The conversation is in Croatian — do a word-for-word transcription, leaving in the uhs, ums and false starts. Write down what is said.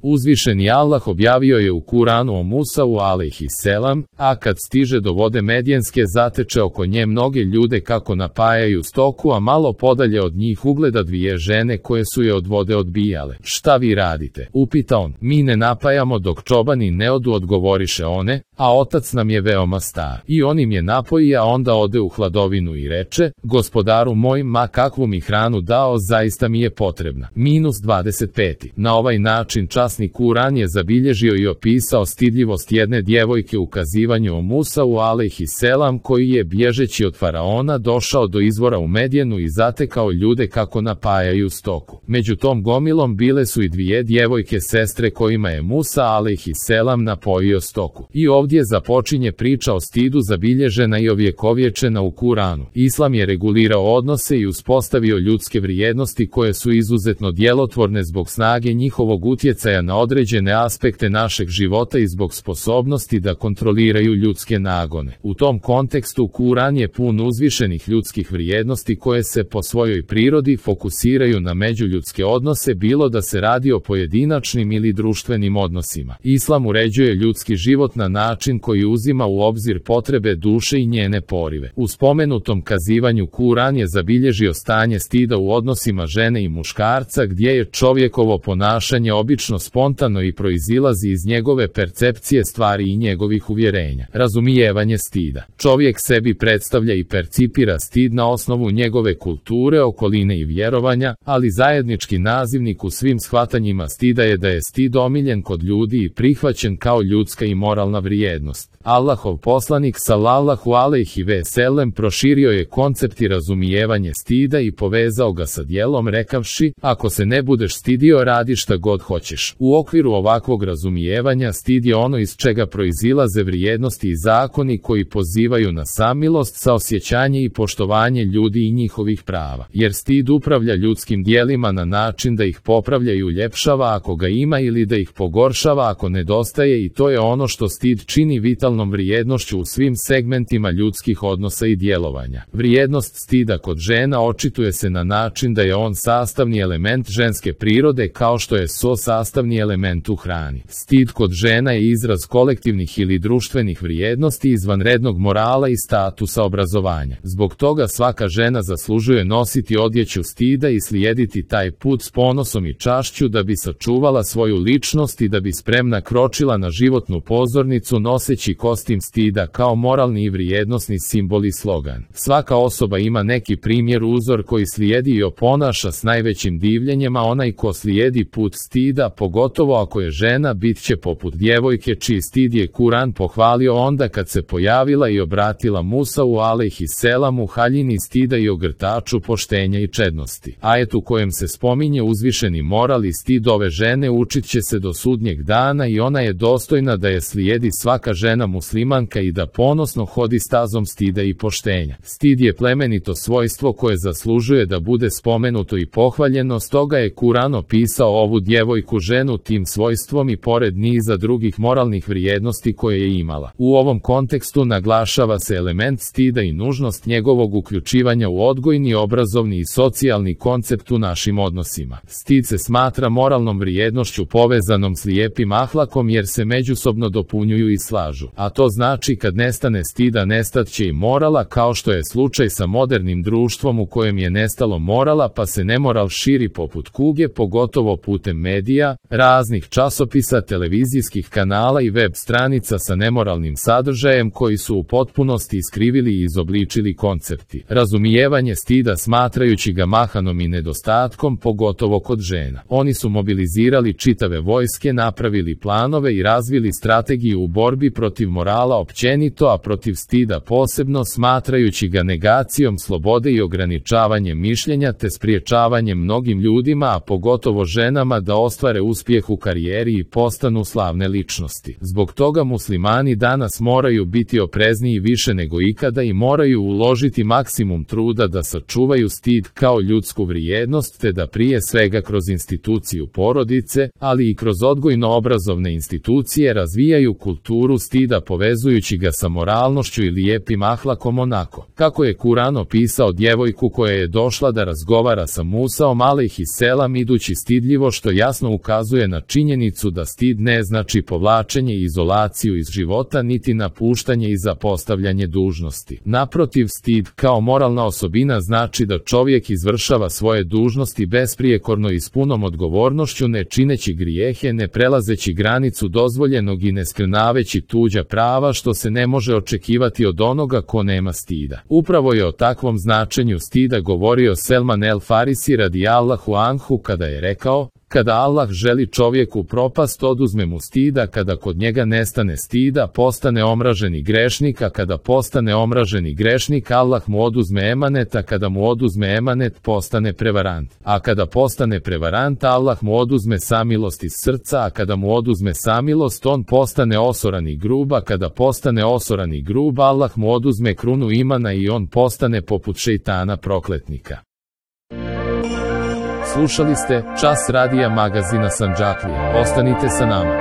Uzvišeni Allah objavio je u Kuranu o Musau alejhiselam, a kad stiže do vode Medjenske zateče oko nje mnoge ljude kako napajaju stoku, a malo podalje od njih ugleda dvije žene koje su je od vode odbijale. Šta vi radite? Upita on. Mi ne napajamo dok čobani ne odu, odgovoriše one, a otac nam je veoma star. I on im je napoji, a onda ode u hladovinu i reče, gospodaru moj, ma kakvu mi hranu dao, zaista mi je potrebna. Minus dvadeset pet. Na ovaj način časni Kuran je zabilježio i opisao stidljivost jedne djevojke u kazivanju o Musau alejhiselam, koji je bježeći od faraona došao do izvora u Medjenu i zatekao ljude kako napajaju stoku. Među tom gomilom bile su i dvije djevojke sestre kojima je Musa alejhiselam napojio stoku. I ovdje započinje priča o stidu zabilježena i ovjekovječena u Kuranu. Islam je regulirao odnose i uspostavio ljudske vrijednosti koje su izuzetno djelotvorne zbog snage njihovog utjecaja na određene aspekte našeg života i zbog sposobnosti da kontroliraju ljudske nagone. U tom kontekstu Kuran je pun uzvišenih ljudskih vrijednosti koje se po svojoj prirodi fokusiraju na međuljudske odnose, bilo da se radi o pojedinačnim ili društvenim odnosima. Islam uređuje ljudski život na način koji uzima u obzir potrebe duše i njene porive. U spomenutom kazivanju Kuran je zabilježio stanje stida u odnosima žene i muškarca, gdje je čovjekovo ponašanje obično spontano i proizilazi iz njegove percepcije stvari i njegovih uvjerenja. Razumijevanje stida. Čovjek sebi predstavlja i percipira stid na osnovu njegove kulture, okoline i vjerovanja, ali zajednički nazivnik u svim shvatanjima stida je da je stid omiljen kod ljudi i prihvaćen kao ljudska i moralna vrijednost. Allahov poslanik sallallahu alejhi ve sellem proširio je koncept i razumijevanje stida i povezao ga sa djelom rekavši, ako se ne budeš stidio, radi šta god hoćeš. U okviru ovakvog razumijevanja stid je ono iz čega proizilaze vrijednosti i zakoni koji pozivaju na samilost, saosjećanje i poštovanje ljudi i njihovih prava. Jer stid upravlja ljudskim djelima na način da ih popravlja i uljepšava ako ga ima ili da ih pogoršava ako nedostaje, i to je ono što stid čini vitalnom vrijednošću u svim segmentima ljudskih odnosa i djelovanja. Vrijednost stida kod žena očituje se na način da je on sastavni element ženske prirode kao što je so sastavni element u hrani. Stid kod žena je izraz kolektivnih ili društvenih vrijednosti, izvanrednog morala i statusa obrazovanja. Zbog toga svaka žena zaslužuje nositi odjeću stida i slijediti taj put s ponosom i čašću da bi sačuvala svoju ličnost i da bi spremna kročila na životnu pozornicu noseći kostim stida kao moralni i vrijednosni simbol i slogan. Svaka osoba ima neki primjer, uzor koji slijedi i oponaša s najvećim divljenjem, a onaj ko slijedi put stida, pogotovo ako je žena, bit će poput djevojke čiji stid je Kuran pohvalio onda kad se pojavila i obratila Musau alejhiselam u haljini stida i ogrtaču poštenja i čednosti. Ajet u kojem se spominje uzvišeni moral i stid ove žene učit će se do sudnjeg dana i ona je dostojna da je slijedi svaka žena muslimanka i da ponosno hodi stazom stida i poštenja. Stid je plemenito svojstvo koje zaslužuje da bude spomenuto i pohvaljeno, stoga je Kuran opisao ovu djevojku ženu tim svojstvom i pored niza drugih moralnih vrijednosti koje je imala. U ovom kontekstu naglašava se element stida i nužnost njegovog uključivanja u odgojni, obrazovni i socijalni koncept u našim odnosima. Stid se smatra moralnom vrijednošću povezanom s lijepim ahlakom jer se međusobno dopunjuju i slažu. A to znači kad nestane stida, nestat će i morala, kao što je slučaj sa modernim društvom u kojem je nestalo morala pa se nemoral širi poput kuge, pogotovo putem medija, raznih časopisa, televizijskih kanala i web stranica sa nemoralnim sadržajem koji su u potpunosti iskrivili i izobličili koncepti. Razumijevanje stida smatrajući ga mahanom i nedostatkom, pogotovo kod žena. Oni su mobilizirali čitave vojske, napravili planove i razvili strategiju u borbi protiv morala općenito, a protiv stida posebno, smatrajući ga negacijom slobode i ograničavanjem mišljenja te spriječavanjem mnogim ljudima, a pogotovo ženama, da ostvare uspjeh u karijeri i postanu slavne ličnosti. Zbog toga muslimani danas moraju biti oprezniji više nego ikada i moraju uložiti maksimum truda da sačuvaju stid kao ljudsku vrijednost, te da prije svega kroz instituciju porodice, ali i kroz odgojno-obrazovne institucije razvijaju kulturu stida povezujući ga sa moralnošću i lijepim ahlakom, onako kako je Kuran opisao djevojku koja je došla da razgovara sa Musaom alejhiselam idući stidljivo, što jasno ukazuje ukazuje na činjenicu da stid ne znači povlačenje i izolaciju iz života niti napuštanje i zapostavljanje dužnosti. Naprotiv, stid kao moralna osobina znači da čovjek izvršava svoje dužnosti besprijekorno i s punom odgovornošću, ne čineći grijehe, ne prelazeći granicu dozvoljenog i ne skrnaveći tuđa prava, što se ne može očekivati od onoga ko nema stida. Upravo je o takvom značenju stida govorio Selman el Farisi radijallahu anhu kada je rekao: kada Allah želi čovjeku propast, oduzme mu stida, kada kod njega nestane stida, postane omraženi grešnik, a kada postane omraženi grešnik, Allah mu oduzme emanet, a kada mu oduzme emanet, postane prevarant. A kada postane prevarant, Allah mu oduzme samilost iz srca, a kada mu oduzme samilost, on postane osoran i grub, a kada postane osoran i grub, Allah mu oduzme krunu imana i on postane poput šejtana prokletnika. Slušali ste Čas radija magazina Sandžaklija. Ostanite sa nama.